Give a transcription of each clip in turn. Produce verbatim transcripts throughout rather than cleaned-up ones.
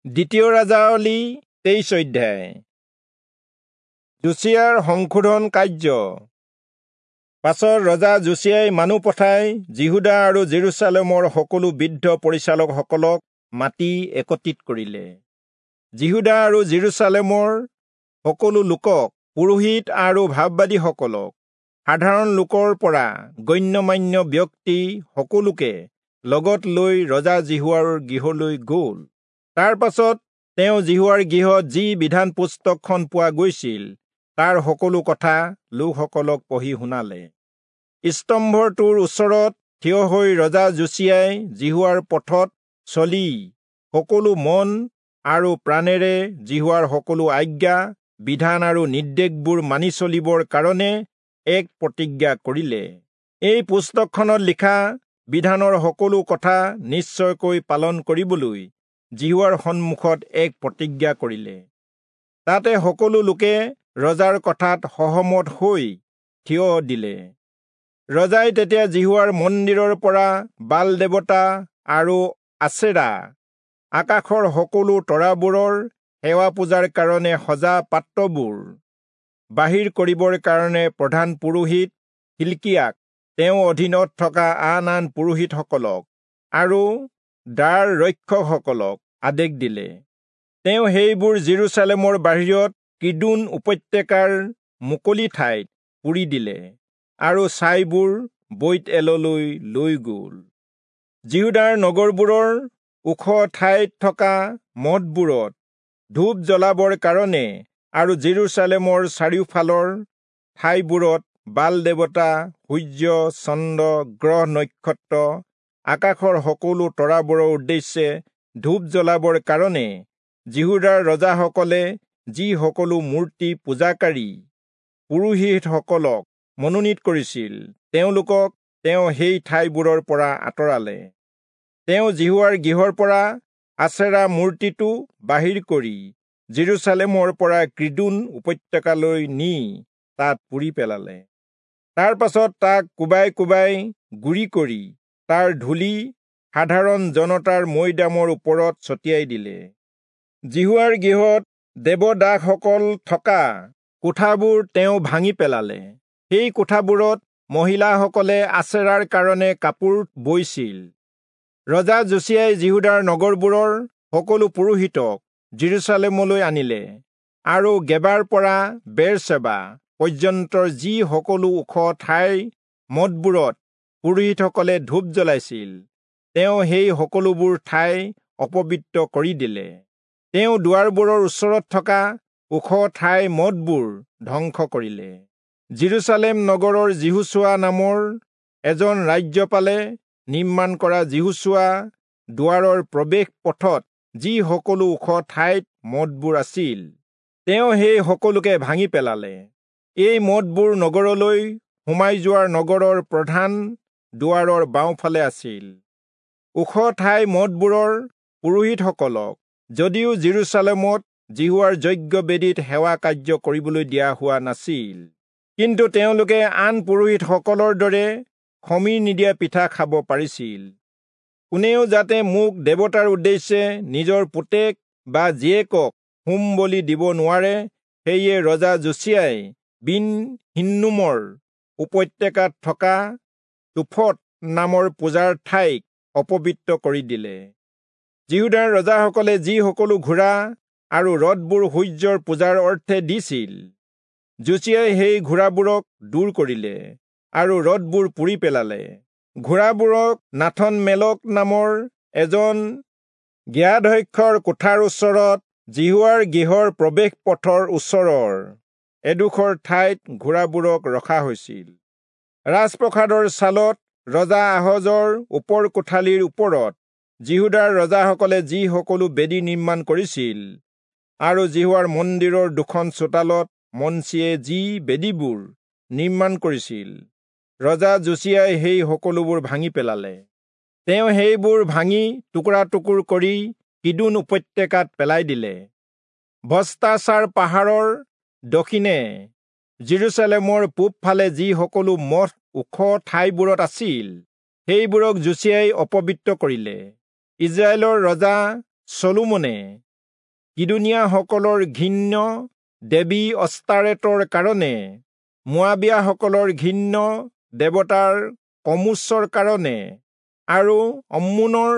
দ্বিতীয় ৰাজাৱলী তেইশ অধ্যায়। যোচিয়াৰ সংশোধন কাৰ্য। পাছত ৰজা যোচিয়াই মানুহ পঠাই যিহূদা আৰু জেৰুচালেমৰ সকলো বৃদ্ধ পৰিচালকসকলক মাতি একত্ৰিত কৰিলে। যিহূদা আৰু জেৰুচালেমৰ সকলো লোকক, পুৰোহিত আৰু ভাববাদীসকলক, সাধাৰণ লোকৰ পৰা গণ্যমান্য ব্যক্তি সকলোকে লগত লৈ ৰজা যিহোৱাৰ গৃহলৈ গ'ল। তাৰ পাছত তেওঁ যিহোৱাৰ গৃহত যি বিধান পুস্তকখন পোৱা গৈছিল তাৰ সকলো কথা লোকসকলক পঢ়ি শুনালে। স্তম্ভটোৰ ওচৰত থিয় হৈ ৰজা যোচিয়াই যিহোৱাৰ পথত চলি সকলো মন আৰু প্ৰাণেৰে যিহোৱাৰ সকলো আজ্ঞা, বিধান আৰু নিৰ্দেশবোৰ মানি চলিবৰ কাৰণে এক প্ৰতিজ্ঞা কৰিলে। এই পুস্তকখনত লিখা বিধানৰ সকলো কথা নিশ্চয়কৈ পালন কৰিবলৈ যিহোৱাৰ সন্মুখত এক প্ৰতিজ্ঞা কৰিলে। তাতে সকলো লোকে ৰজাৰ কথাত সহমত হৈ থিয় দিলে। ৰজাই তেতিয়া যিহোৱাৰ মন্দিৰৰ পৰা বাল দেৱতা আৰু আচেৰা, আকাশৰ সকলো তৰাবোৰৰ সেৱা পূজাৰ কাৰণে সজা পাত্ৰবোৰ বাহিৰ কৰিবৰ কাৰণে প্ৰধান পুৰোহিত হিল্কিয়াক, তেওঁ অধীনত থকা আন আন পুৰোহিতসকলক আৰু দ্বাৰ ৰক্ষকসকলক আদেশ দিলে। তেওঁ সেইবোৰ জেৰুচালেমৰ বাহিৰত কিদোন উপত্যকাৰ মুকলি ঠাইত পুৰি দিলে আৰু ছাইবোৰ বৈৎএললৈ লৈ গ'ল। যিহূদাৰ নগৰবোৰৰ ওখ ঠাইত থকা মঠবোৰত ধূপ জ্বলাবৰ কাৰণে আৰু জেৰুচালেমৰ চাৰিওফালৰ ঠাইবোৰত বাল দেৱতা, সূৰ্য, চন্দ্ৰ, গ্ৰহ নক্ষত্ৰ, আকাশৰ সকলো তৰাবোৰৰ উদ্দেশ্যে ধূপ জ্বলাবৰ কাৰণে যিহূদাৰ ৰজাসকলে যি সকলো মূৰ্তি পূজাকাৰী পুৰোহিতসকলক মনোনীত কৰিছিল, তেওঁলোকক তেওঁ সেই ঠাইবোৰৰ পৰা আঁতৰালে। তেওঁ যিহোৱাৰ গৃহৰ পৰা আচেৰা মূৰ্তিটো বাহিৰ কৰি জেৰুচালেমৰ পৰা কিদোন উপত্যকালৈ নি তাত পুৰি পেলালে। তাৰ পাছত তাক কোবাই কোবাই গুৰি কৰি তাৰ ধূলি সাধাৰণ জনতাৰ মৈদামৰ ওপৰত ছটিয়াই দিলে। যিহোৱাৰ গৃহত দেৱদাসসকল থকা কোঠাবোৰ তেওঁ ভাঙি পেলালে। সেই কোঠাবোৰত মহিলাসকলে আচেৰাৰ কাৰণে কাপোৰ বৈছিল। ৰজা যোচিয়াই যিহূদাৰ নগৰবোৰৰ সকলো পুৰোহিতক জেৰুচালেমলৈ আনিলে আৰু গেবাৰ পৰা বেৰচেবা পৰ্যন্তৰ যি সকলো ওখ ঠাইৰ মঠবোৰত পুৰোহিতসকলে ধূপ জ্বলাইছিল, তেওঁ সেই সকলোবোৰ ঠাই অপবিত্ৰ কৰি দিলে। তেওঁ দুৱাৰবোৰৰ ওচৰত থকা ওখ ঠাইৰ মঠবোৰ ধ্বংস কৰিলে। জেৰুচালেম নগৰৰ যিহোচূৱা নামৰ এজন ৰাজ্যপালে নিৰ্মাণ কৰা যিহোচূৱা দুৱাৰৰ প্ৰৱেশ পথত যি সকলো ওখ ঠাইত মঠবোৰ আছিল, তেওঁ সেই সকলোকে ভাঙি পেলালে। এই মঠবোৰ নগৰলৈ সোমাই যোৱাৰ নগৰৰ প্ৰধান দুৱাৰৰ বাওঁফালে আছিল। ওখ ঠাই মঠবোৰৰ পুৰোহিতসকলক যদিও জেৰুচালেমত যিহোৱাৰ যজ্ঞ বেদীত সেৱা কাৰ্য কৰিবলৈ দিয়া হোৱা নাছিল, কিন্তু তেওঁলোকে আন পুৰোহিতসকলৰ দৰে খমীৰ নিদিয়া পিঠা খাব পাৰিছিল। কোনেও যাতে মোক দেৱতাৰ উদ্দেশ্যে নিজৰ পুতেক বা জীয়েকক হোম বলি দিব নোৱাৰে, সেয়ে ৰজা যোচিয়াই বিন হিন্নোমৰ উপত্যকাত থকা তোফত নামৰ পূজাৰ ঠাইক অপবিত্ৰ কৰি দিলে। যিহূদাৰ ৰজাসকলে যি সকলো ঘোঁৰা আৰু ৰথবোৰ সূৰ্যৰ পূজাৰ অৰ্থে দিছিল, যোচিয়াই সেই ঘোঁৰাবোৰক দূৰ কৰিলে আৰু ৰথবোৰ পুৰি পেলালে। ঘোঁৰাবোৰক নাথন মেলক নামৰ এজন জ্ঞাধ্যক্ষৰ কোঠাৰ ওচৰত যিহোৱাৰ গৃহৰ প্ৰৱেশ পথৰ ওচৰৰ এডোখৰ ঠাইত ঘোঁৰাবোৰক ৰখা হৈছিল। ৰাজপ্ৰসাদৰ ছালত ৰজা আহজৰ ওপৰ কোঠালিৰ ওপৰত যিহূদাৰ ৰজাসকলে যি সকলো বেদী নিৰ্মাণ কৰিছিল আৰু যিহোৱাৰ মন্দিৰৰ দুখন চোতালত মনচিয়ে যি বেদীবোৰ নিৰ্মাণ কৰিছিল, ৰজা যোচিয়াই সেই সকলোবোৰ ভাঙি পেলালে। তেওঁ সেইবোৰ ভাঙি টুকুৰা টুকুৰ কৰি কিদোন উপত্যকাত পেলাই দিলে। ভ্ৰষ্টাচাৰ পাহাৰৰ দক্ষিণে জেৰুচালেমৰ পূবফালে যি সকলো মঠ ওখ ঠাইবোৰত আছিল, সেইবোৰক যোচিয়াই অপবিত্ৰ কৰিলে। ইজৰাইলৰ ৰজা চলোমনে কিদোনীয়াসকলৰ ঘৃণ্য দেৱী অস্তাৰেতৰ কাৰণে, মোৱাবীয়াসকলৰ ঘৃণ্য দেৱতাৰ কমোচৰ কাৰণে আৰু অম্মোনৰ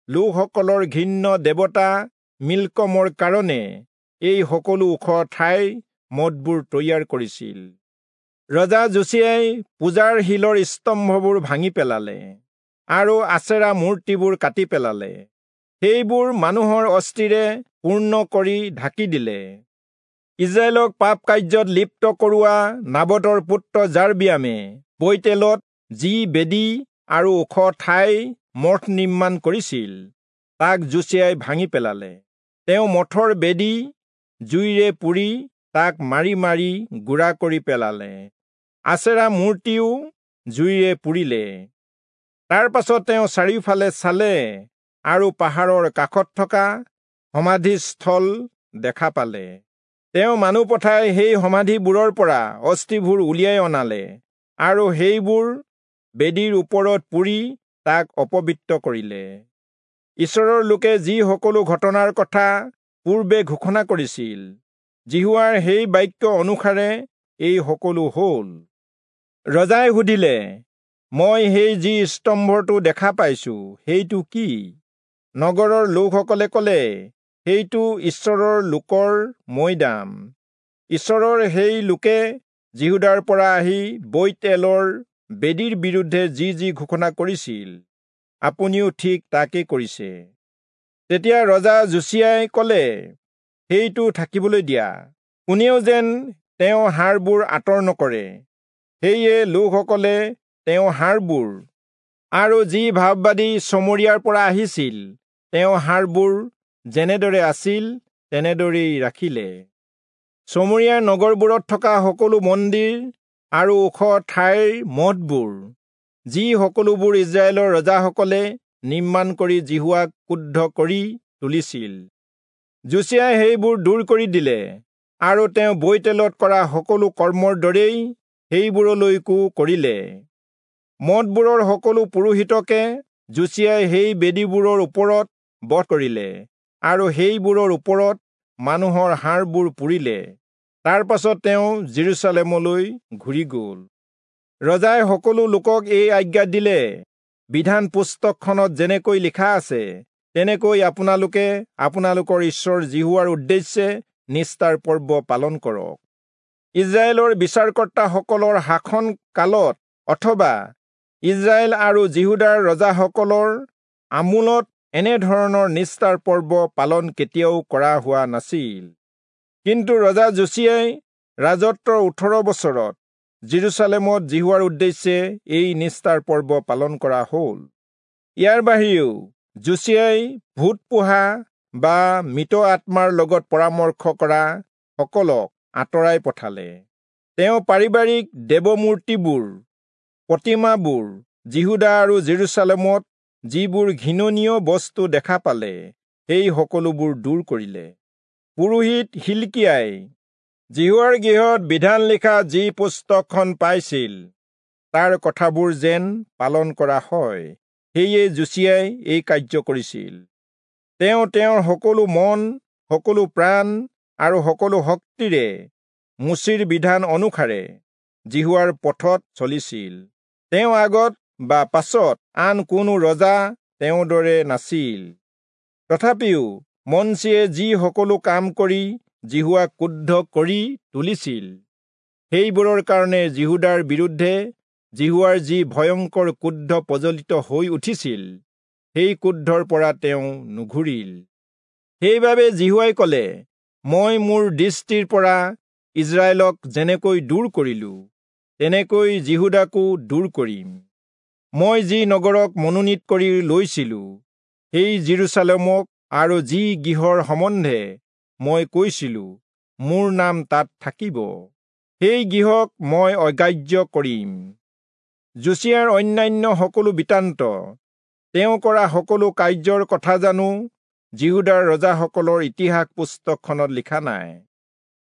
লোকসকলৰ ঘৃণ্য দেৱতা মিল্কমৰ কাৰণে এই সকলো ওখ ঠাইৰ মঠবোৰ তৈয়াৰ কৰিছিল। ৰজা যোচিয়াই পূজাৰ শিলৰ স্তম্ভবোৰ ভাঙি পেলালে আৰু আচেৰা মূৰ্তিবোৰ কাটি পেলালে, সেইবোৰ মানুহৰ অস্থিৰে পূৰ্ণ কৰি ঢাকি দিলে। ইজৰাইলক পাপ কাৰ্যত লিপ্ত কৰোৱা নাবতৰ পুত্ৰ যাৰবিয়ামে বৈতেলত যি বেদী আৰু ওখ ঠাই মঠ নিৰ্মাণ কৰিছিল, তাক যোচিয়াই ভাঙি পেলালে। তেওঁ মঠৰ বেদী জুইৰে পুৰি তাক মাৰি মাৰি গুড়া কৰি পেলালে, আচেৰা মূৰ্তিও জুইৰে পুৰিলে। তাৰ পাছত তেওঁ চাৰিওফালে চালে আৰু পাহাৰৰ কাষত থকা সমাধিস্থল দেখা পালে। তেওঁ মানুহ পঠাই সেই সমাধিবোৰৰ পৰা অস্থিবোৰ উলিয়াই অনালে আৰু সেইবোৰ বেদীৰ ওপৰত পুৰি তাক অপবিত্ৰ কৰিলে। ঈশ্বৰৰ লোকে যি সকলো ঘটনাৰ কথা পূৰ্বে ঘোষণা কৰিছিল, যিহোৱাৰ সেই বাক্য অনুসাৰে এই সকলো হ'ল। ৰজাই সুধিলে, মই সেই যি স্তম্ভটো দেখা পাইছো সেইটো কি? নগৰৰ লোকসকলে ক'লে, সেইটো ঈশ্বৰৰ লোকৰ মৈদাম। ঈশ্বৰৰ সেই লোকে যিহূদাৰ পৰা আহি বৈৎএলৰ বেদীৰ বিৰুদ্ধে যি যি ঘোষণা কৰিছিল, আপুনিও ঠিক তাকে কৰিছে। তেতিয়া ৰজা যোচিয়াই ক'লে, সেইটো থাকিবলৈ দিয়া, কোনেও যেন তেওঁ হাড়বোৰ আঁতৰ নকৰে। সেয়ে লোকসকলে তেওঁ হাড়বোৰ আৰু যি ভাববাদী চমৰীয়াৰ পৰা আহিছিল তেওঁ হাড়বোৰ যেনেদৰে আছিল তেনেদৰেই ৰাখিলে। চমৰীয়াৰ নগৰবোৰত থকা সকলো মন্দিৰ আৰু ওখ ঠাইৰ মঠবোৰ, যি সকলোবোৰ ইজৰাইলৰ ৰজাসকলে নিৰ্মাণ কৰি যিহোৱাক ক্ৰুদ্ধ কৰি তুলিছিল, যোচিয়াই সেইবোৰ দূৰ কৰি দিলে আৰু তেওঁ বৈতেলত কৰা সকলো কৰ্মৰ দৰেই সেইবোৰলৈকো কৰিলে। মঠবোৰৰ সকলো পুৰোহিতকে যোচিয়াই সেই বেদীবোৰৰ ওপৰত বধ কৰিলে আৰু সেইবোৰৰ ওপৰত মানুহৰ হাড়বোৰ পুৰিলে। তাৰ পাছত তেওঁ জেৰুচালেমলৈ ঘূৰি গ'ল। ৰজাই সকলো লোকক এই আজ্ঞা দিলে, বিধান পুস্তকখনত যেনেকৈ লিখা আছে তেনেকৈ আপোনালোকে আপোনালোকৰ ঈশ্বৰ যিহোৱাৰ উদ্দেশ্যে নিস্তাৰ পৰ্ব পালন কৰক। ইজৰাইলৰ বিচাৰকৰ্তাসকলৰ শাসন কালত অথবা ইজৰাইল আৰু যিহূদাৰ ৰজাসকলৰ আমোলত এনেধৰণৰ নিস্তাৰ পৰ্ব পালন কেতিয়াও কৰা হোৱা নাছিল। কিন্তু ৰজা যোচিয়াই ৰাজত্বৰ ওঠৰ বছৰত জেৰুচালেমত যিহোৱাৰ উদ্দেশ্যে এই নিস্তাৰ পৰ্ব পালন কৰা হ'ল। ইয়াৰ বাহিৰেও যোচিয়াই ভূত পোহা বা মৃত আত্মাৰ লগত পৰামৰ্শ কৰা সকলক আঁতৰাই পঠালে। তেওঁ পাৰিবাৰিক দেৱমূৰ্তিবোৰ, প্ৰতিমাবোৰ, যিহূদা আৰু জেৰুচালেমত যিবোৰ ঘৃণনীয় বস্তু দেখা পালে সেই সকলোবোৰ দূৰ কৰিলে। পুৰোহিত হিলকিয়াই যিহোৱাৰ গৃহত বিধান লিখা যি পুস্তকখন পাইছিল তাৰ কথাবোৰ যেন পালন কৰা হয়, সেয়ে যোচিয়াই এই কাৰ্য কৰিছিল। তেওঁ তেওঁৰ সকলো মন, সকলো প্ৰাণ আৰু সকলো শক্তিৰে মোচিৰ বিধান অনুসাৰে যিহোৱাৰ পথত চলিছিল। তেওঁ আগত বা পাছত আন কোনো ৰজা তেওঁৰ দৰে নাছিল। তথাপিও মনচিয়ে যি সকলো কাম কৰি যিহোৱাক ক্ৰুদ্ধ কৰি তুলিছিল, সেইবোৰৰ কাৰণে যিহূদাৰ বিৰুদ্ধে যিহোৱাৰ যি ভয়ংকৰ ক্ৰোধ প্ৰজ্বলিত হৈ উঠিছিল, সেই ক্ৰোধৰ পৰা তেওঁ নুঘূৰিল। সেইবাবে যিহোৱাই ক'লে, মই মোৰ দৃষ্টিৰ পৰা ইজৰাইলক যেনেকৈ দূৰ কৰিলো, তেনেকৈ যিহূদাকো দূৰ কৰিম। মই যি নগৰক মনোনীত কৰি লৈছিলো, সেই জেৰুচালেমক আৰু যি গৃহৰ সম্বন্ধে মই কৈছিলো, মোৰ নাম তাত থাকিব, সেই গৃহক মই অগ্ৰাহ্য কৰিম। যোচিয়াৰ অন্যান্য সকলো বৃত্তান্ত, তেওঁ কৰা সকলো কাৰ্যৰ কথা জানো যিহূদাৰ ৰজাসকলৰ ইতিহাস পুস্তকখনত লিখা নাই?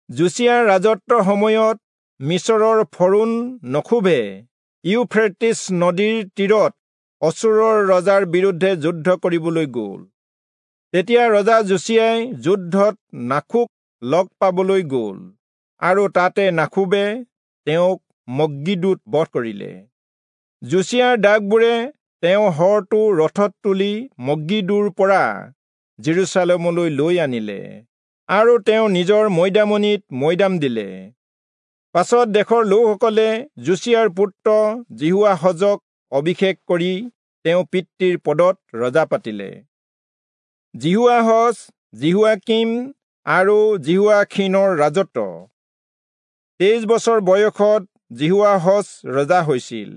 যোচিয়াৰ ৰাজত্বৰ সময়ত মিচৰৰ ফৰোণ নখোভে ইউফ্ৰেটিছ নদীৰ তীৰত অচূৰৰ ৰজাৰ বিৰুদ্ধে যুদ্ধ কৰিবলৈ গ'ল। তেতিয়া ৰজা যোচিয়াই যুদ্ধত নাখোক লগ পাবলৈ গ'ল আৰু তাতে নাখোবে তেওঁক মগ্গিদোত বধ কৰিলে। যোচিয়াৰ দাসবোৰে তেওঁ হৰটো ৰথত তুলি মগ্গিদোৰ পৰা জেৰুচালেমলৈ লৈ আনিলে আৰু তেওঁ নিজৰ মৈদামনিত মৈদাম দিলে। পাছত দেশৰ লোকসকলে যোচিয়াৰ পুত্ৰ যিহোৱাহজক অভিষেক কৰি তেওঁ পিতৃৰ পদত ৰজা পাতিলে। যিহোৱাহজ, যিহোৱাকীম আৰু যিহোৱাখীনৰ ৰাজত্ব। তেইছ বছৰ বয়সত যিহোৱাহজ ৰজা হৈছিল।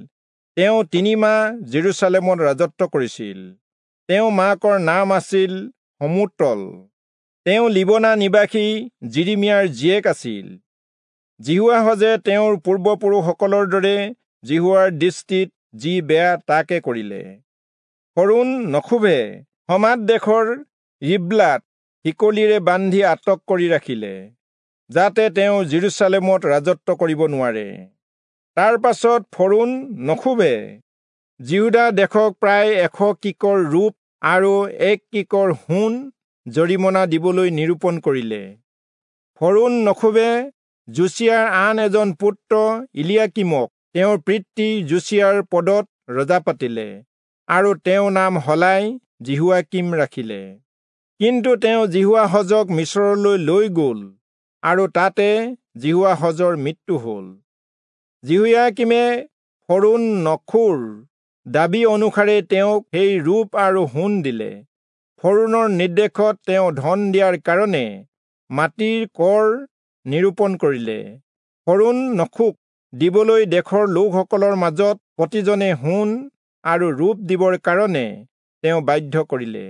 তেওঁ তিনিমাহ জেৰুচালেমত ৰাজত্ব কৰিছিল। তেওঁ মাকৰ নাম আছিল সমুতল। তেওঁ লিবনা নিবাসী জিৰিমিয়াৰ জীয়েক আছিল। যিহোৱাহজে তেওঁৰ পূৰ্বপুৰুষসকলৰ দৰে যিহোৱাৰ দৃষ্টিত যি বেয়া তাকে কৰিলে। ফৰৌণ নখোবে হমাত দেশৰ ৰিব্লাত শিকলিৰে বান্ধি আটক কৰি ৰাখিলে, যাতে তেওঁ জেৰুচালেমত ৰাজত্ব কৰিব নোৱাৰে। তাৰ পাছত ফৰৌণ নখোবে যিহূদা দেশক প্ৰায় এশ কিকৰ ৰূপ আৰু এক কিকৰ সোণ জৰিমনা দিবলৈ নিৰূপণ কৰিলে। ফৰৌণ নখোবে যোচিয়াৰ আন এজন পুত্ৰ ইলিয়াকীমক তেওঁৰ পিতৃ যোচিয়াৰ পদত ৰজা পাতিলে আৰু তেওঁ নাম সলাই যিহোৱাকীম ৰাখিলে। কিন্তু তেওঁ যিহোৱাহজক মিচৰলৈ লৈ গ'ল আৰু তাতে যিহোৱাহজৰ মৃত্যু হ'ল। যিহোয়াকীমে ফৰৌণ নখোৰ দাবী অনুসাৰে তেওঁক সেই ৰূপ আৰু সোণ দিলে। ফৰৌণৰ নিৰ্দেশত তেওঁ ধন দিয়াৰ কাৰণে মাটিৰ কৰ নিৰূপণ কৰিলে। ফৰৌণ নখোক দিবলৈ দেশৰ লোকসকলৰ মাজত প্ৰতিজনে সোণ আৰু ৰূপ দিবৰ কাৰণে তেওঁ বাধ্য কৰিলে।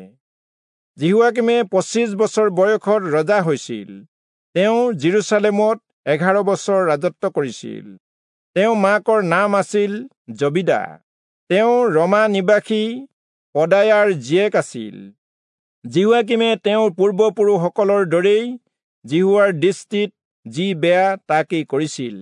যিহোৱাকীমে পঁচিছ বছৰ বয়সত ৰজা হৈছিল। তেওঁ জেৰুচালেমত এঘাৰ বছৰ ৰাজত্ব কৰিছিল। তেওঁ মাকৰ নাম আছিল জবিদা। তেওঁ ৰমা নিবাসী পদায়াৰ জীয়েক আছিল। যিহোৱাকীমে তেওঁৰ পূৰ্বপুৰুষসকলৰ দৰেই যিহোৱাৰ দৃষ্টিত যি বেয়া তাকেই কৰিছিল।